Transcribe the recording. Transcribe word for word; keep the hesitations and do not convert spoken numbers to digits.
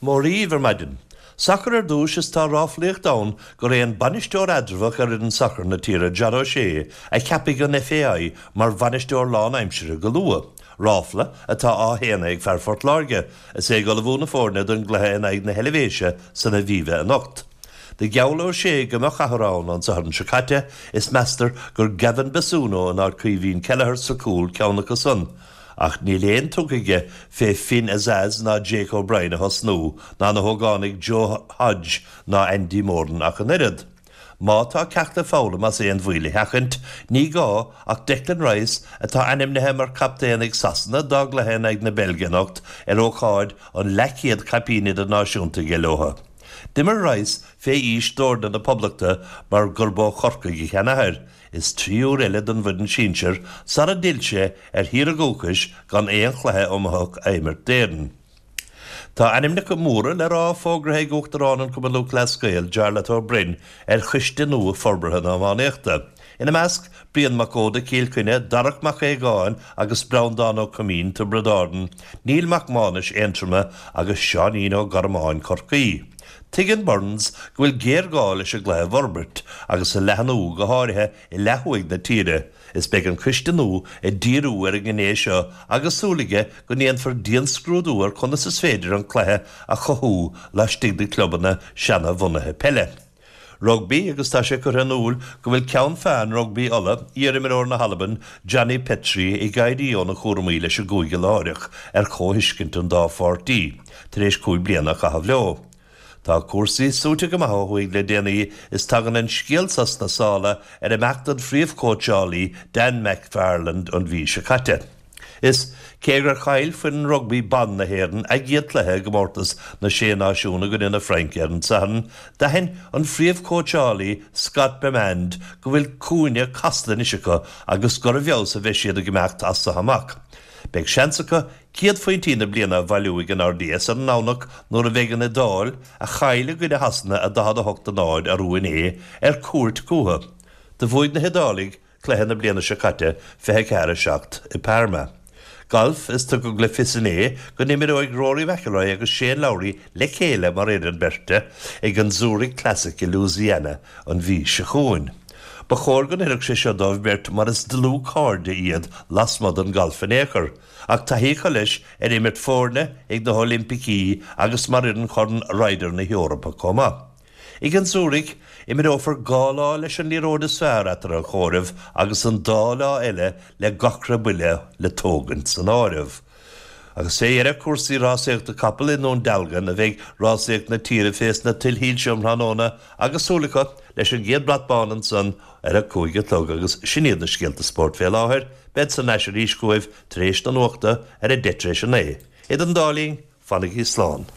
Mora dhaoibh ar maidin. Sacar ar dtús is tá ráflaíocht ann gur é an bainisteoir eatramhach ar fhoireann sacair na tíre John O'Shea a cheapfaidh an FAI mar bhainisteoir lánaimseartha go luath. Ráfla atá á shéanadh ag fear Phort Láirge, is é ag ullmhú na foirne don gcluiche in aghaidh na hEilvéise san Aviva anocht. Do gheall O'Shea go mbeadh athrú ann an Satharn seo caite is meastar gur Gavin Bazunu in áit Caoimhín Kelleher sa chúl ceann acu san. Ach níl aon tugtha aige fé Finn Azaz ná Jake O'Brien a thosnú, ná na hógánaigh Joe Hodge ná Andy Moran ach an oiread. Má tá ceacht le foghlaim as aon bhaol a sheachaint, ní gá ach Declan Rice atá ainmnithe mar captaen ag Sasana dá gcluiche in aghaidh na Beilge anocht ar ócáid an leathchéad caipín idirnáisiúnta aige leo. D'imir Rice fé aois d'fhoirne na Poblachta mar gurb ó Chorcaigh a sheanathair, is trí huair eile don bhfoireann sinsir sara d'fhill sé ar thír a dhúchais gan aon chluiche iomaitheach a imirt d'Éirinn. Tá ainmneacha móra le rá fógartha ag Uachtarán an Chumann Lúthchleas Gael Jarlath Ó Broin ar choiste nua forbartha na hiománaíochta. Ina measc Brian Mac Óda Cill Chainnigh, Darach Mac Aogáin agus Breandán Ó Coimín Tiobraid Árann, Neil Mac Mánais Aontroma agus Seáinín Ó Gormáin Chorcaí. Tuigeann Burns go bhfuil géarghá leis an gcluiche a fhorbairt agus a leathnú go háirithe i leath thuaidh na tíre, is beidh an coiste nua ag díriú ar an ngné seo agus súil aige go ndéanfar dianscrúdú ar conas is féidir an cluiche a chothú laistigh de chlubanna seanbhunaithe peile. Rugbaí agus tá sé curtha in iúl go bhfuil ceann feadhain Rugbaí Uladh, iarimreoir na hAlban, Johnny Petrie ag éirí óna chúraimí leis an gcúige láithreach ar chomhthuiscint an dá pháirtí, tar éis cúig bliana a chaitheamh leo. Tá cúrsaí suaite go maith ó thuaidh le déanaí is tagann an scéal seo sna sála ar imeacht an phríomhchóitseálaí Dan McFarland an mhí seo caite. Is cé gur chaill foireann rugbaí ban na hÉireann a gcéad chluiche i gcomórtas na Sé Náisiún i gcoinne na Fraince ar an Satharn, d'aithin an phríomhchóitseálaí Scott Bemand go bhfuil cúinne casta anois acu agus gur i bhfeabhas a bheidh siad ag imeacht as seo amach. Beidh seans acu céad phointí na bliana a bhailiú ag an RDS ar an nDomhnach nuair a bheidh an Iodáil, a chaill i gcoinne Shasana a daichead a hocht a náid arú inné, ar cuairt chucu. Do bhuaigh na hIodálaigh cluiche na bliana seo caite, fiche a ceathair a seacht, i Parma. Galf Is tugadh le fios inné go n-imreoidh Rory McIlroy agus Shane Lowry le chéile mar fhoireann beirte ag an Zurich Classic i Louisiana an mhí seo chugainn. Ba chóir go n-oirfeadh sé seo dóibh beirt mar is dlúthchairde iad lasmuigh den ghalf in aon chor, ach taithí acu leis ar imirt foirne ag na hOilimpicí agus mar fhoireann Chorn Ryder na hEorpa chomh maith. Ag an Zurich, imreofar dhá lá leis an liathróid is fearr eatarthu a chomhaireamh agus an dá lá eile le gach re buille le tógaint san áireamh. Agus fé dheireadh cúrsaí rásaíochta capall i nDún Dealgan a bheidh rásaíocht na tíre fés na tuilshoilse um thráthnóna agus súil acu leis an gcéad brat bán ansan ar a cúig a chlog agus sin iad na scéalta spóirt fé láthair. Bead thar n-ais arís chugaibh tar éis na nuachta ar a deich tar éis a naoi. Idir an dá linn, fanaigí slán.